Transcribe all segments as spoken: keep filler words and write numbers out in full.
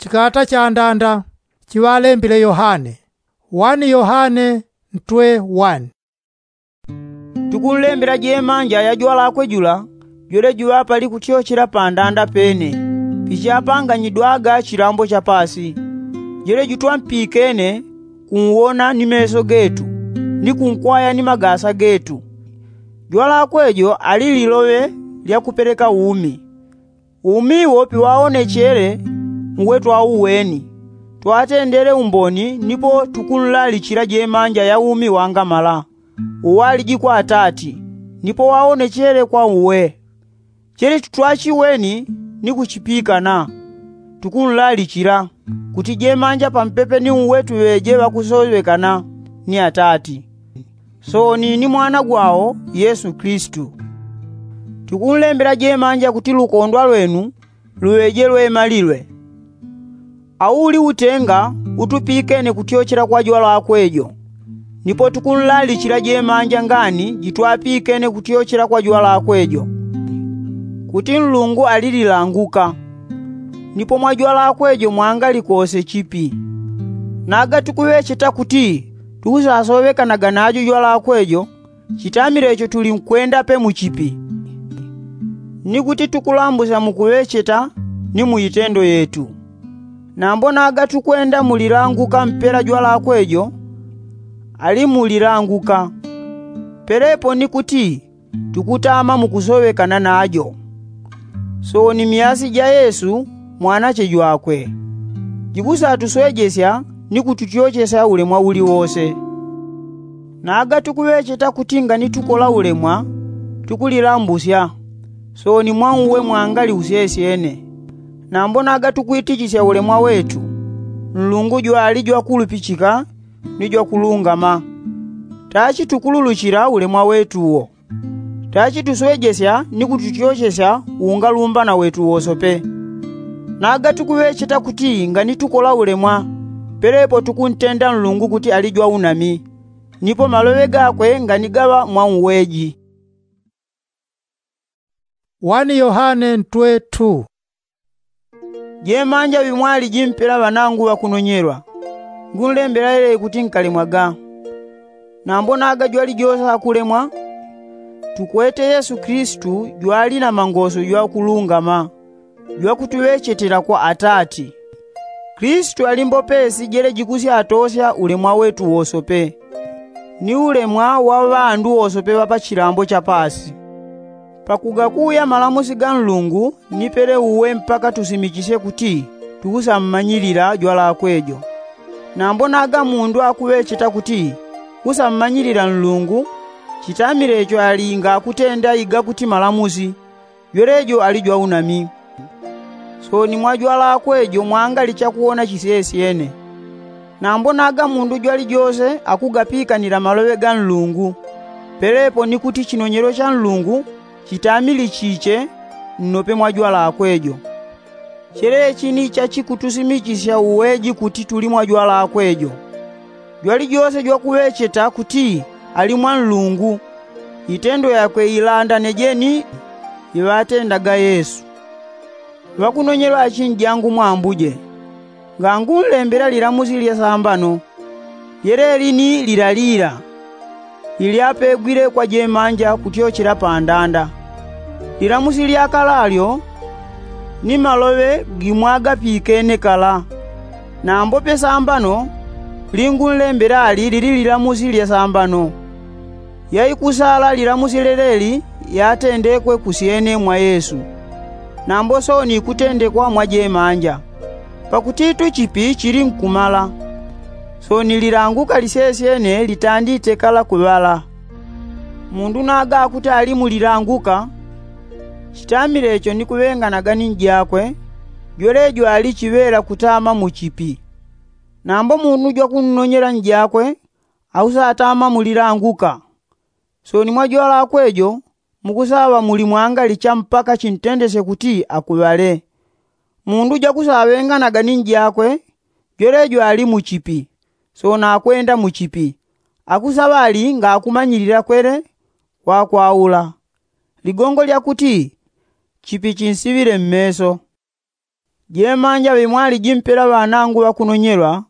Chikata chandanda chiŵalembile yohane. Wani yohane ntwe wani. Tukunlembela jemanja ya jwalakwe jula jwele juŵapali kutyochela pandanda pene pichapanganyidwaga chilambo cha pasi, jwele jutwampikene kunwona ni meso getu ni kunkwaya ni magasa getu. Jwalakwe jo ali liloŵe lya kupeleka umi. Umi wo piŵaonechele uwe twauweni, twatendele umboni nipo tukunlalichila jemanja ya umi wangamala uwaliji kwa atati, nipo waonechele kwa uwe. Chele tutwachiweni ni kuchipikana tukunlalichila kuti jemanja pampepe ni uwe tuŵeje ŵakusoŵekana ni atati, sooni ni mwana gwao yesu kilisitu. Tukunlembela jemanja kuti lukondwa lwenu luŵeje lwemalilwe. Auli utenga utupikene kutyochela kwa jwalakwe jo. Nipo tukunlalichila jemanja ngani jitwapikene kutyochela kwa jwalakwe jo, kuti nlungu ali lilanguka, nipo mwa jwalakwe jo mwangali kose chipi. Naga tukuŵecheta kuti tukusasoŵekanaga najo jwalakwe jo, chitamile icho tulinkwenda pe muchipi, ni kuti tukulambusya mukuŵecheta ni mu itendo yetu. Nambo naga tukwenda mulilanguka mpela jwalakwe jo ali mulilanguka, pelepo ni kuti tukutama mukusoŵekana najo. Sooni myasi ja yesu mwanache jwakwe, jikusatuswejesya ni kututyochesya ulemwa uli wose. Naga tukuŵecheta kuti ngani tukola ulemwa tukulilambusya, sooni mwa uwe mwangali usyesyene. Nambo naga tukwitichisya ulemwa wetu, nlungu jwali jwakulupichika ni jwakulungama. Tachi tukululuchila ulemwa wetu wo. Tachi tuswejesya ni kututyochesya ungalumbana wetu wosope. Naga tukuŵecheta kuti ngani tukola ulemwa, pelepo tukuntenda nlungu kuti ali jwaunami, nipo maloŵe gakwe ngani gaŵa mwa uweji. Wani yohane ntwe tu. Jemanja ŵimwaliji mpela ŵanangu ŵakunonyelwa, ngunlembela yelele kuti nkalemwaga. Nambo naga jwalijose akulemwa, tukwete yesu kilisitu jwali na mangoso jwakulungama jwakutuŵechetela kwa atati. Kilisitu ali mbopesi jele jikusyatosya ulemwa wetu wosope, ni ulemwa wa ŵandu wosope ŵa pa chilambo cha pasi. Pakugakuya malamusi ga nlungu ni pele uwe mpaka tusimichisye kuti tukusammanyilila jwalakwe jo. Nambo naga mundu akuŵecheta kuti kusammanyilila nlungu, chitamile icho ali ngakutenda igakuti malamusi, jwelejo ali jwaunami. Sooni mwa jwalakwe jo mwangali chakuwona chisyesyene. Nambo naga mundu jwalijose akugapikanila maloŵe ga nlungu, pelepo ni kuti chinonyelo cha nlungu chitamili chiche nnope mwa jwalakwe jo. Chelechi ni chachikutusimichisya uweji kuti tuli mwa jwalakwe jo. Jwalijose jwakuŵecheta kuti ali mwa nlungu, itendo yakwe ilandane jeni iŵatendaga yesu. Ŵakunonyelwa achinjangu mwa ambuje, ngangunlembela lilamusi lya sambano. Yeleli ni lilalila lilyapegwile kwa jemanja kutyochela pandanda. Lilamusi lya kala lyo ni maloŵe gimwagapikene kala. Nambo pe sambano lingunlembela ali lili lilamusi lya sambano. Yaikusala lilamusi leleli yatendekwe kusyene mwa yesu, nambo sooni ikutendekwa mwa jemanja. Pakuti tuchipi chili nkumala, sooni lilanguka lisyesyene litandite kala kuŵala. Mundu naga akuti ali mulilanguka, chitamile icho ni kuŵenganaga ni njakwe, jwelejo ali chiŵela kutama muchipi. Nambo mundu jwakunnonyela njakwe ausatama mulilanguka. Sooni mwa jwalakwe jo mukusaŵa muli mwangali cha mpaka chintendesye kuti akuŵale. Mundu jwakusaŵenganaga ni njakwe, jwelejo ali muchipi, sooni akwenda muchipi, akusaŵa ali ngakumanyilila kwele kwakwaula. Ligongo lya kuti chipi chinsiŵile mmeso. Jemanja ŵemwaliji mpela ŵanangu ŵakunonyelwa,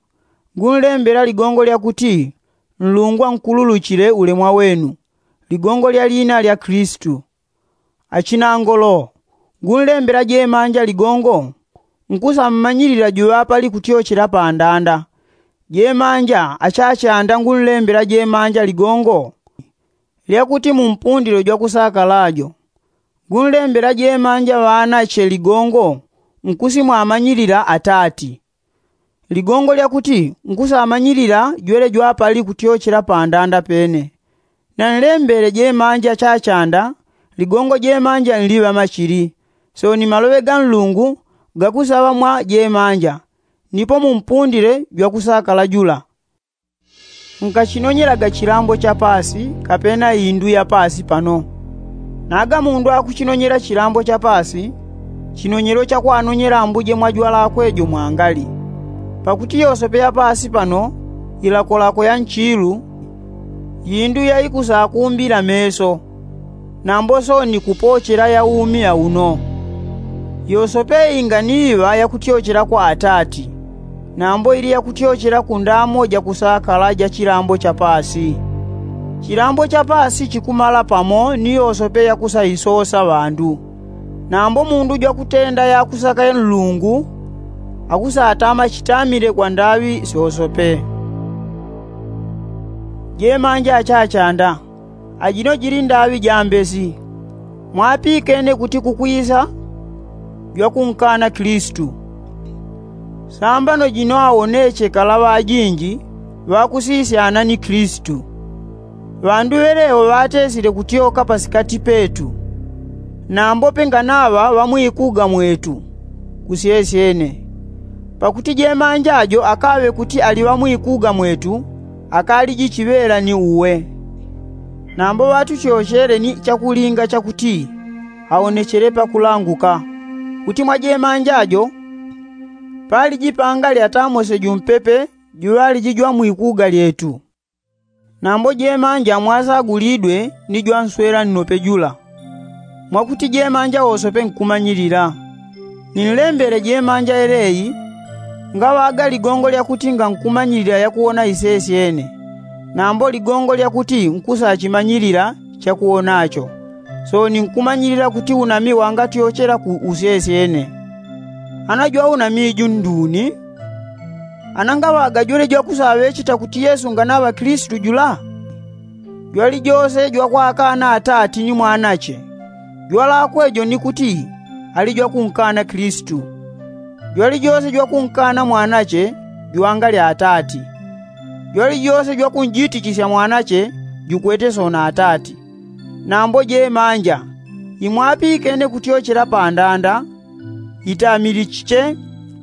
ngunlembela ligongo lya kuti nlungu ankululuchile ulemwa wenu, ligongo lya liina lya kilisitu. Achinangolo, ngunlembela jemanja ligongo nkusammanyilila juŵapali kutyochela pandanda. Jemanja achachanda ngunlembela jemanja ligongo lya kuti mumpundilo jwakusakala jo, ngunlembela jemanja ŵanache ligongo nkusimwamanyilila atati. Ligongo lya kuti nkusamanyilila jwele jwapali kutyochela pandanda pene. Nanlembele jemanja chachanda ligongo jemanja nliŵa machili, sooni maloŵe ga nlungu gakusaŵa mwa jemanja, nipo mumpundile jwakusakala jula. Nkachinonyelaga chilambo cha paasi kapena indu ya paasi pano. Naga mundu akuchinonyela chilambo cha paasi, chinonyelo chakwanonyela ambuje mwa jwalakwe jo mwangali. Pakuti yosope ya paasi pano ilakolako ya nchilu, indu yaikusakumbila meso, nambo sooni kupochela ya umi ya uno. Yosope inga ni iŵa yakutyochela kwa atati, nambo ili yakutyochela ku ndamo jakusakala ja chilambo cha paasi. Chilambo cha paasi chikumala pamo ni yosope yakusaisosa ŵandu. Nambo mundu jwakutenda yakusaka ya nlungu akusatama chitamile kwa ndaŵi syosope. Jemanja achachanda, ajino jili ndaŵi jambesi. Mwapikene kuti kukwisa jwakunkana kilisitu. Sambano jino awoneche kala ŵajinji ŵakusisyana ni kilisitu. Ŵandu ŵelewo ŵatesile kutyoka pasikati petu, nambope nganaŵa ŵamwikuga mwetu kusyesyene. Pakuti jemanja jo akaŵe kuti ali ŵamwikuga mwetu, akaliji chiŵela ni uwe. Nambo ŵatuchochele ni chakulinga chakuti awonechele pakulanguka, kuti mwa jemanja jo paliji pangali atamose jumpepe juŵaliji jwamwikuga lyetu. Nambo jemanja mwasagulidwe ni jwanswela nnope jula, mwakuti jemanja wosope nkumanyilila. Ninlembele jemanja yeleyi ngaŵaga ligongo lyakuti ngankumanyilila yakuwona isesyene, nambo ligongo lyakuti nkusachimanyilila chakuwonacho, sooni nkumanyilila kuti unami wangatyochela ku usesyene. Ana jwaunami ju nduni? Ana ngaŵaga jwele jwakusaŵecheta kuti yesu nganaŵa kilisitu jula? Jwalijose jwakwakana atati ni mwanache, jwalakwe jo ni kuti ali jwakunkana kilisitu. Jwalijose jwakunkana mwanache, juwangalya atati. Jwalijose jwakunjitichisya mwanache, jukwete soona atati. Nambo jemanja imwapikene kutyochela pandanda, itamilichiche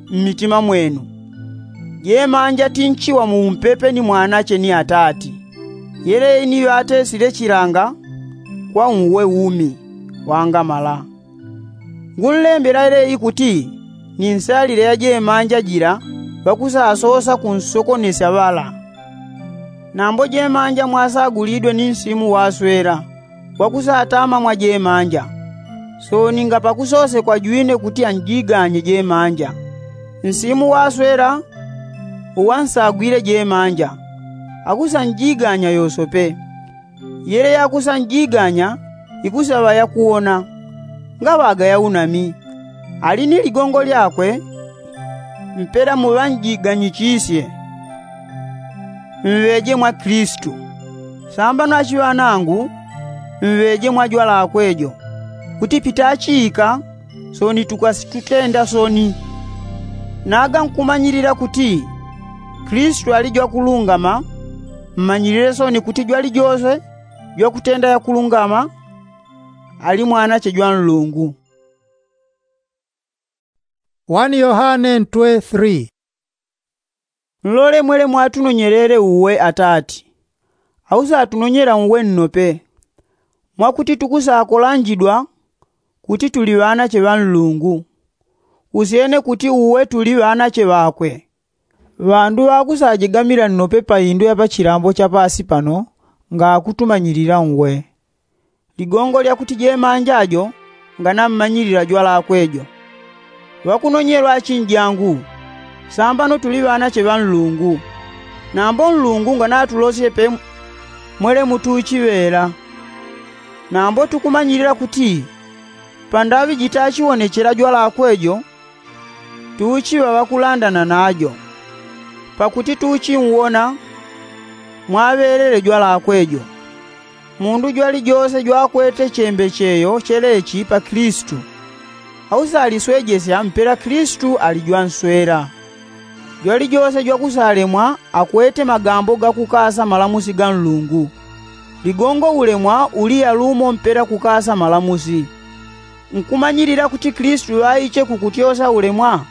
mmitima mwenu. Jemanja tinchiwa muumpepe ni mwanache ni atati. Yeleyi ni ŵatesile chilanga kwa uwe umi wangamala. Ngunlembela yeleyi kuti ni nsalile ya jemanja jila ŵakusasosa kunsokonesya ŵala. Nambo jemanja mwasagulidwe ni nsimu waswela wakusatama mwa jemanja. Sooni ngapakusosekwa jwine kuti anjiganye jemanja, nsimu waswela uwansagwile jemanja akusanjiganya yosope. Yele yakusanjiganya ikusaŵa yakuwona, ngaŵaga yaunami. Ali ni ligongo lyakwe mpela muŵanjiganyichisye. Mŵeje mwa kilisitu. Sambano achiŵanangu, mŵeje mwa jwalakwe jo, kuti pitachiika sooni tukasitutenda sooni. Naga nkumanyilila kuti kilisitu ali jwakulungama, mmanyilile sooni kuti jwalijose jwakutenda yakulungama ali mwanache jwa nlungu. Wani yohane ntwe three. Nlole mwele mwatunonyelele uwe atati, ausatunonyela uwe nnope, mwakuti tukusakolanjidwa kuti tuli ŵanache ŵa nlungu, usyene kuti uwe tuli ŵanache ŵakwe. Ŵandu ŵakusajigamila nnope pa indu ya pachilambo cha paasi pano, ngakutumanyilila uwe. Ligongo lyakuti jemanja jo nganammanyilila jwalakwe jo. Ŵakunonyelwa achinjangu, sambano tuli ŵanache ŵa nlungu. Nambo nlungu nganatulosye pe mwele mutuchiŵela. Nambo tukumanyilila kuti pandaŵi jitachiwonechela jwalakwe jo, tuchiŵa ŵakulandana najo. Pakuti tuchinwona mwaŵelele jwalakwe jo. Mundu jwalijose jwakwete chembecheyo chelechi pa kilisitu, ausaliswejesya mpela kilisitu ali jwanswela. Jwalijose jwakusalemwa akwete magambo gakukasa malamusi ga nlungu. Ligongo ulemwa uli yalumo mpela kukasa malamusi. Nkumanyilila kuti kilisitu ŵaiche kukutyosa ulemwa?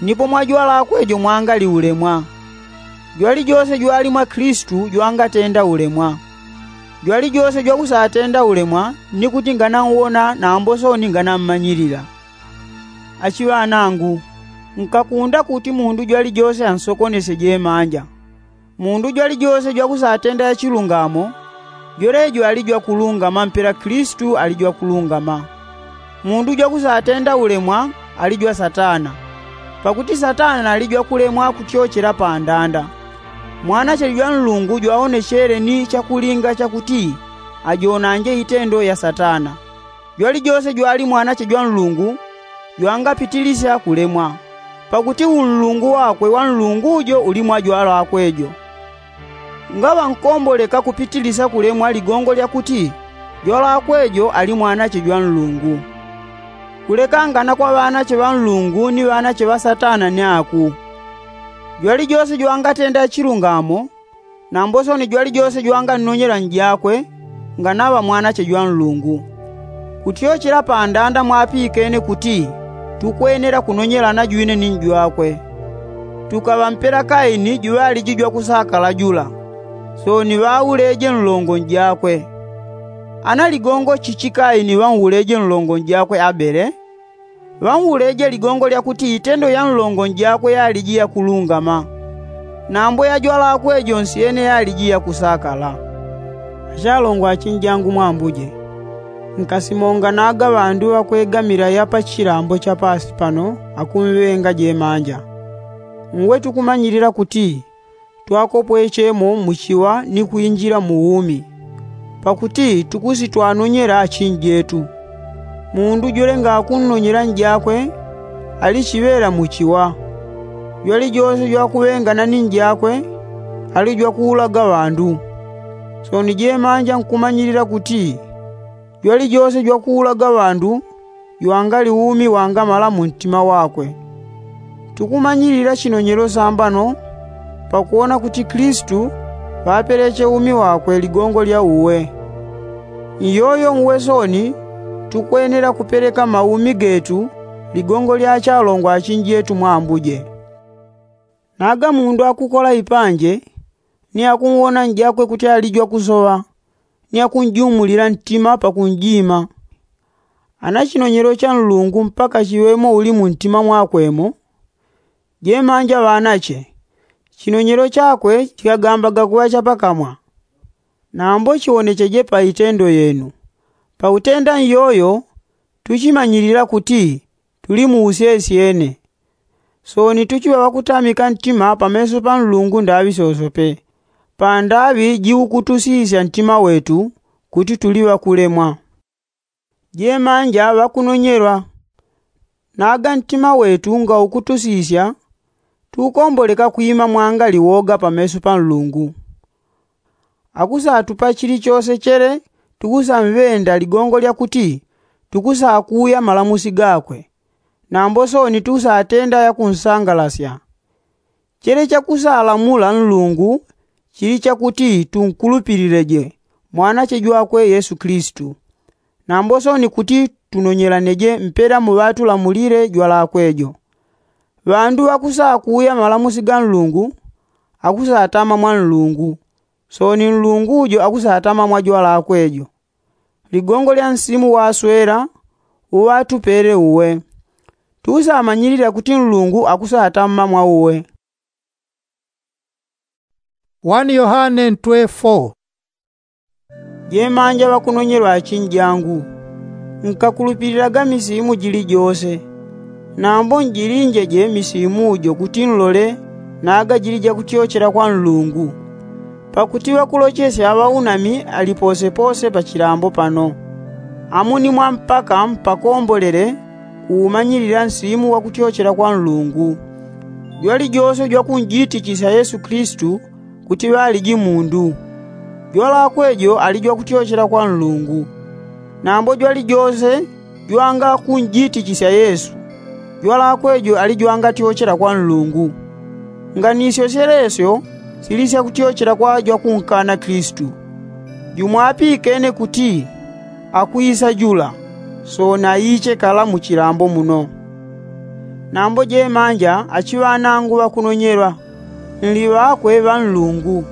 Nipo mwajwalakwe jo mwangali ulemwa. Jwalijose jwali mwa kilisitu jwangatenda ulemwa. Jwalijose jwakusatenda ulemwa ni kuti ngananwona nambo soni nganammanyilila. Achiŵanangu, nkakunda kuti mundu jwalijose ansokonesye jemanja. Mundu jwalijose jwakusatenda yachilungamo, jwelejo ali jwakulungama mpela kilisitu ali jwakulungama. Mundu jwakusatenda ulemwa ali jwa satana. Pakuti satana ali jwakulemwa kutyochela pandanda. Mwanache jwa nlungu jwaonechele ni chakulinga chakuti ajonanje itendo ya satana. Jwalijose jwali mwanache jwa nlungu jwangapitilisya kulemwa. Pakuti unlungu wakwe wa nlungu jo uli mwa jwalakwe jo. Ngaŵa nkomboleka kupitilisya kulemwa ligongo lyakuti jwalakwe jo ali mwanache jwa nlungu. Kulekangana kwa ŵanache ŵa nlungu ni ŵanache ŵa satana ni aku. Jwalijose jwangatenda chilungamo, nambo soni jwalijose jwangannonyela njakwe, nganaŵa mwanache jwa nlungu. Kutyochela pandanda mwapikene kuti tukwenela kunonyelana jwine ni njwakwe. Tukaŵa mpela kaini juŵaliji jwakusakala jula, soni ŵauleje nlongo njakwe. Ana ligongo chichi kaini ŵauleje nlongo njakwe abele? Ŵauleje ligongo lyakuti itendo ya nlongo njakwe yaliji yakulungama, nambo ya jwalakwe jo nsyene yaliji yakusakala. Achalongo achinjangu mwambuje, nkasimonganaga ŵandu ŵakwegamila ya pa chilambo cha pasi pano akumŵenga jemanja. Uwe tukumanyilila kuti twakopwechemo mu chiwa ni kwinjila mu umi, pakuti tukusitwanonyela achinjetu. Mundu jwele ngakunnonyela njakwe, ali chiŵela mu chiwa. Jwalijose jwakuŵengana ni njakwe, ali jwakuulaga ŵandu. Soni jemanja nkumanyilila kuti jwalijose jwakuulaga ŵandu jwangali umi wangamala mu ntima wakwe. Tukumanyilila chinonyelo sambano pakuwona kuti kilisitu ŵapeleche umi wakwe ligongo lya uwe. Nyoyo uwe soni tukwenela kupeleka maumi getu ligongo lya achalongo achinjetu mwambuje. Naga mundu akukola ipanje, ni akunwona njakwe kuti ali jwakusoŵa, ni akunjumulila ntima pakunjima. Ana chinonyelo cha nlungu mpaka chiŵemo uli mu ntima mwakwemo. Jemanja ŵanache, chinonyelo chakwe chikagambaga kuŵa cha pakamwa, nambo chiwonecheje pa itendo yenu. Pakutenda nyoyo tuchimanyilila kuti tuli mu usyesyene. Soni tuchiŵa ŵakutamika ntima pameso pa nlungu ndaŵi sosope, pandaŵi jiukutusisya ntima wetu kuti tuli ŵakulemwa. Jemanja ŵakunonyelwa, naga ntima wetu ngaukutusisya, tukomboleka kwima mwangali woga pameso pa nlungu. Akusatupa chilichose chele tukusamŵenda ligongo lyakuti tukusakuya malamusi gakwe, nambo soni tukusatenda yakunsangalasya. Chele chakusalamula nlungu chili chakuti tunkulupilileje mwanache jwakwe yesu kilisitu, nambo soni kuti tunonyelaneje mpela muŵatulamulile jwalakwe jo. Ŵandu ŵakusakuya malamusi ga nlungu akusatama mwa nlungu, soni nlungu jo akusatama mwa jwalakwe jo. Ligongo lya nsimu waswela uŵatupele uwe. Tusamanyilila kuti nlungu akusatama mwa uwe. Wani yohane ntwe fo. Jemanja ŵakunonyelwa achinjangu, nkakulupililaga misimu jilijose. Nambo njilinjeje misimu jo kuti nlole naga jili jakutyochela kwa nlungu. Pakuti ŵakulochesya ŵaunami ali posepose pa chilambo pano. Amu ni mwampaka mpakombolele kuumanyilila nsimu wa kutyochela kwa nlungu. Jwalijose jwakunjitichisya yesu kilisitu kuti ŵaliji mundu. Jwalakwe jo ali jwakutyochela kwa nlungu. Nambo jwalijose jwanga kunjitichisya yesu, jwalakwe jo ali jwangatyochela kwa nlungu. Nganisyo syelesyo sili syakutyochela kwa jwakunkana kilisitu. Jumwapikene kuti akwisa jula, sooni aiche kala mu chilambo muno. Nambo jemanja achiŵanangu ŵakunonyelwa, nli ŵakwe ŵa nlungu.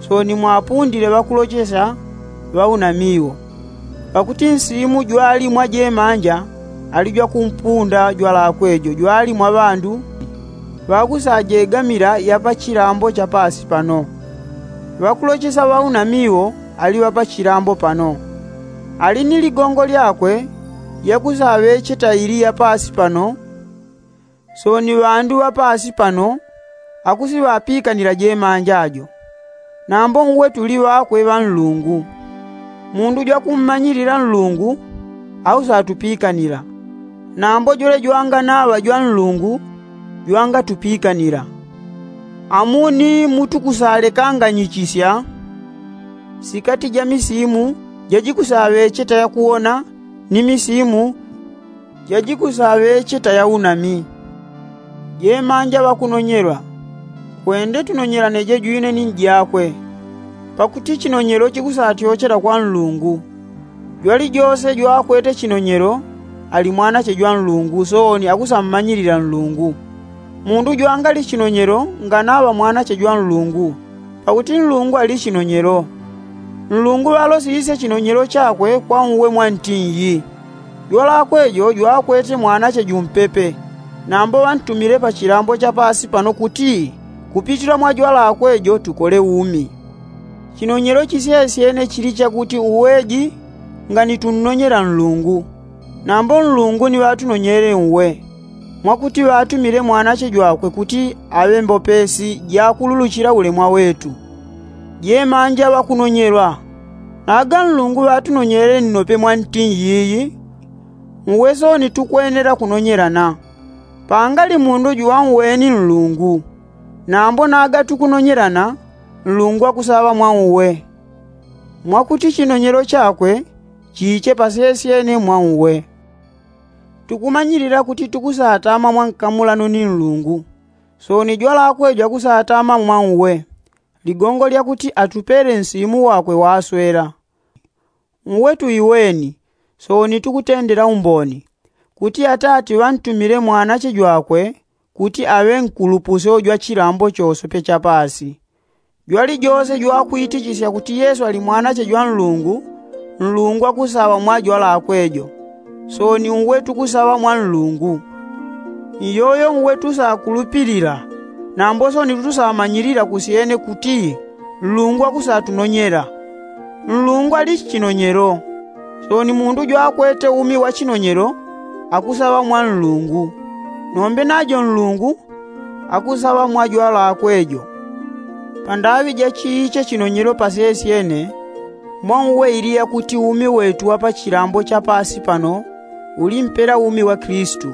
Sooni mwapundile ŵakulochesya ŵaunamiwo. Pakuti nsimu jwali mwa jemanja ali jwakumpunda jwalakwe jo jwali mwa ŵandu ŵakusajegamila ya pa chilambo cha paasi pano. Ŵakulochesya ŵaunamiwo ali ŵa pa chilambo pano. Ali ni ligongo lyakwe yakusaŵecheta ili ya paasi pano. Sooni ŵandu ŵa paasi pano akusiŵapikanila jemanja jo. Nambo uwe tuli ŵakwe ŵa nlungu. Mundu jwakummanyilila nlungu ausatupikanila. Nambo jwele jwanganaŵa jwa nlungu jwangatupikanila. Amuni mutukusalekanganyichisya sikati ja misimu jajikusaŵecheta yakuwona ni misimu jajikusaŵecheta yaunami. Jemanja ŵakunonyelwa, kwende tunonyelaneje jwine ni njakwe. Pakuti chinonyelo chikusatyochela kwa nlungu. Jwalijose jwakwete chinonyelo ali mwanache jwa nlungu sooni akusammanyilila nlungu. Mundu jwangali chinonyelo nganaŵa mwanache jwa nlungu. Pakuti nlungu ali chinonyelo. Nlungu ŵalosisye chinonyelo chakwe kwa uwe mwantinyi. Jwalakwe jo jwakwete mwanache jumpepe. Nambo ŵantumile pa chilambo cha paasi pano kuti kupitila mwa jwalakwe jo tukole umi. Chinonyelo chisyesyene chili chakuti uweji ngani tunnonyela nlungu. Nambo nlungu ni ŵatunonyele uwe mwakuti ŵatumile mwanache jwakwe kuti aŵe mbopesi jakululuchila ulemwa wetu. Jemanja ŵakunonyelwa, naga nlungu ŵatunonyele nnope mwantinyi yiyi. Uwe sooni tukwenela kunonyelana. Pangali mundu jwanweni nlungu. Nambo naga tukunonyelana nlungu akusaŵa mwa uwe. Mwakuti chinonyelo chakwe chiche pasesyene mwa uwe. Tukumanyilila kuti tukusatama mwa nkamulano ni nlungu. Sooni jwalakwe jwakusatama mwa uwe. Ligongo lyakuti atupele nsimu wakwe waswela. Uwe tuiweni. Sooni tukutendela umboni kuti atati ŵantumile mwanache jwakwe kuti aŵe nkulupusyo jwa chilambo chosope cha paasi. Jwalijose jwakwitichisya kuti yesu ali mwanache jwa nlungu. Nlungu akusaŵa mwa jwalakwe jo. Sooni uwe tukusaŵa mwa nlungu. Iyoyo uwe tusakulupilila. Nambo sooni tusamanyilila kusyene kuti nlungu akusatunonyela. Nlungu ali chinonyelo. Sooni mundu jwakwete umi wa chinonyelo akusaŵa mwa nlungu. Nombe najo nlungu akusaŵa mwa jwalakwe jo. Pandaŵi ja chiiche chinonyelo pasesyene mwa uwe ili yakuti umi wetu wa pa chilambo cha paasi pano uli mpela umi wa kilisitu.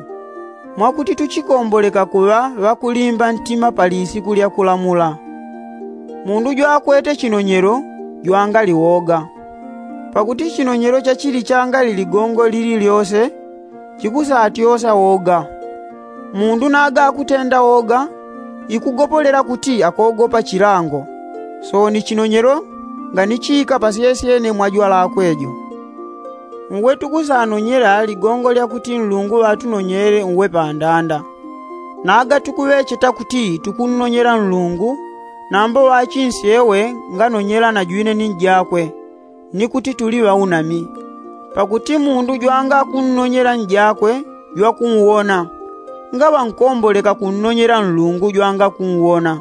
Mwakuti tuchikomboleka kuŵa ŵakulimba ntima pa lisiku lya kulamula. Mundu jwakwete chinonyelo jwangali woga. Pakuti chinonyelo chachili changali ligongo lili lyose chikusatyosa woga. Mundu naga akutenda woga ikugopolela kuti akogopa chilango. Sooni chinonyelo nganichiika pasesyene mwa jwalakwe jo. Uwe tukusanonyela ligongo lyakuti nlungu ŵatunonyele uwe pandanda. Naga tukuŵecheta kuti tukunnonyela nlungu. Nambo ŵachinsyewe nganonyela na jwine ni njakwe ni kuti tuli ŵaunami. Pakuti mundu jwangakunnonyela njakwe jwakunwona. Ngaŵa nkomboleka kunnonyela nlungu jwangakunwona.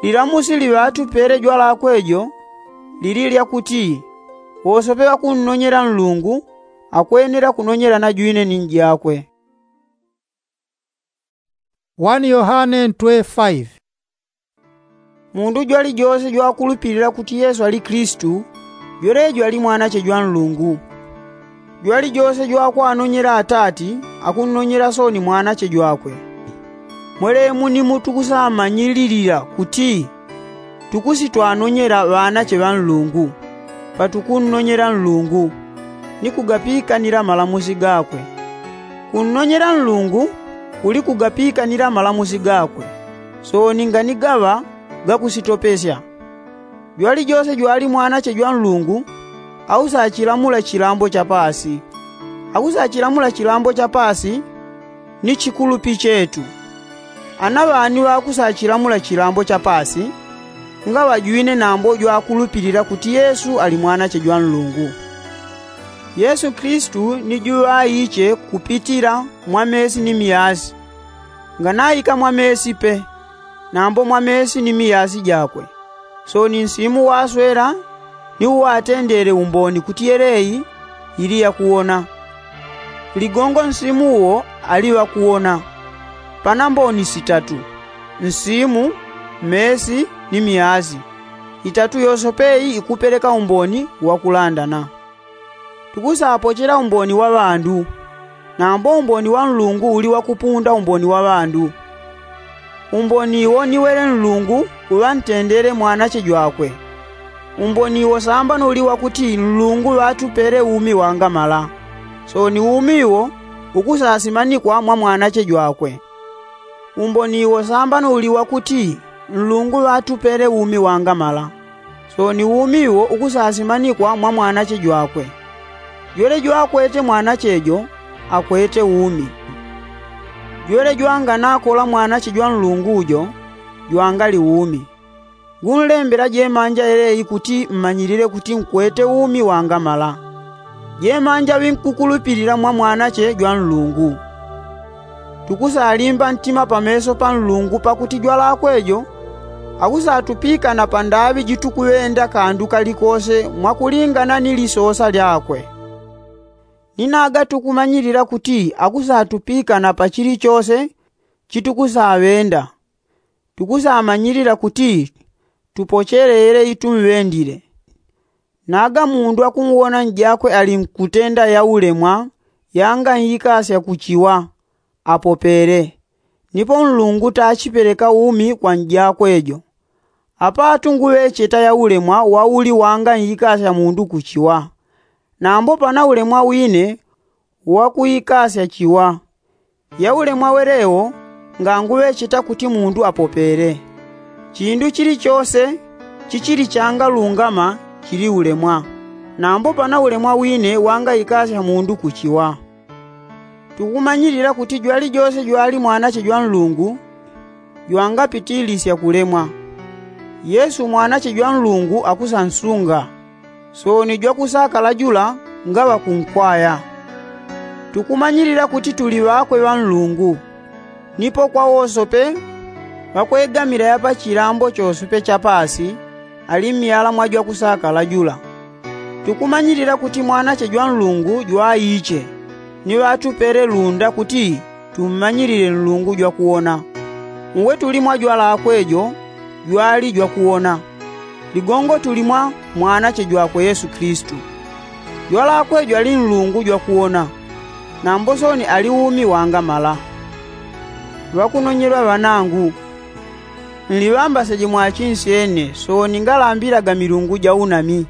Lilamusi liŵatupele jwalakwe jo lili lyakuti wosope ŵakunnonyela nlungu akwenela kunonyela na jwine ni njakwe. Wani yohane ntwe faive. Mundu jwalijose jwakulupilila kuti yesu ali kilisitu, jwelejo ali mwanache jwa nlungu. Jwalijose jwakwanonyela atati, akunnonyela soni mwanache jwakwe. Mwelemu ni mutukusamanyililila kuti tukusitwanonyela ŵanache ŵa nlungu, patukunnonyela nlungu, ni kugapikanila malamusi gakwe. Kunnonyela nlungu kuli kugapikanila malamusi gakwe, soni ngani gaŵa gakusitopesya. Jwalijose jwali mwanache jwa nlungu, ausachilamula chilambo cha paasi. Akusachilamula chilambo cha paasi ni chikulupi chetu. Ana ŵani ŵakusachilamula chilambo cha paasi, ngaŵajwine nambo jwakulupilila kuti yesu ali mwanache jwa nlungu. Yesu kilisitu ni juŵaiche kupitila mwa mesi ni miyasi. Nganaika mwa mesi pe, nambo mwa mesi ni miyasi jakwe. Soni nsimu waswela ni uwatendele umboni kuti yeleyi ili yakuwona. Ligongo nsimu uwo ali ŵakuwona. Pana mboni sitatu: nsimu, mesi, ni miyasi. Itatu yose peyi ikupeleka umboni wakulandana. Tukusapochela umboni wa ŵandu, nambo umboni wa nlungu uli wakupunda umboni wa ŵandu. Umboni wo ni wele nlungu uŵantendele mwanache jwakwe. Umboni wo sambano uli wakuti nlungu ŵatupele umi wangamala, soni umi wo ukusasimanikwa mwa mwanache jwakwe. Umboni wo sambano uli wakuti nlungu ŵatupele umi wangamala, soni umi wo ukusasimanikwa mwa mwanache jwakwe. Jwele jwakwete mwanache jo akwete umi. Jwele jwanganakola mwanache jwa nlungu jo jwangali umi. Ngunlembela jemanja yeleyi kuti mmanyilile kuti nkwete umi wangamala. Jemanja ŵinkukulupilila mwa mwanache jwa nlungu. Tukusalimba ntima pameso pa nlungu pakuti jwalakwe jo akusatupikana pandaŵi jitukuŵenda kandu kalikose mwakulingana ni lisosa lyakwe. Ni naga tukumanyilila kuti akusatupikana pa chilichose chitukusaŵenda. Tukusamanyilila kuti tupochele yeleyi tumŵendile. Naga mundu akuwona njakwe ali nkutenda yaulemwa yangaikasya kuchiwa, apopele. Nipo nlungu tachipeleka umi kwa njakwe jo. Apatu nguŵecheta yaulemwa wauli wangaikasya mundu kuchiwa. Nambo pana ulemwa wine wakuikasya chiwa. Yaulemwa wele wo nganguŵecheta kuti mundu apopele. Chindu chilichose chichili changalungama chili ulemwa. Nambo pana ulemwa wine wangaikasya mundu kuchiwa. Tukumanyilila kuti jwalijose jwali mwanache jwa nlungu jwangapitilisya kulemwa. Yesu mwanache jwa nlungu akusansunga, soni jwakusakala jula ngaŵakunkwaya. Tukumanyilila kuti tuli ŵakwe ŵa nlungu. Nipo kwa wosope ŵakwegamila yapa chilambo chosope cha paasi ali myala mwa jwakusakala jula. Tukumanyilila kuti mwanache jwa nlungu jwaiche, ni ŵatupele lunda kuti tummanyilile nlungu jwakuwona. Uwe tuli mwa jwalakwe jo jwali jwakuwona. Ligongo tuli mwa mwanache jwakwe yesu kilisitu. Jwalakwe jwali nlungu jwakuwona, nambo soni ali umi wangamala. Ŵakunonyelwa ŵanangu, nliŵambaseje mwachinsyene soni ngalambilaga milungu ja unami.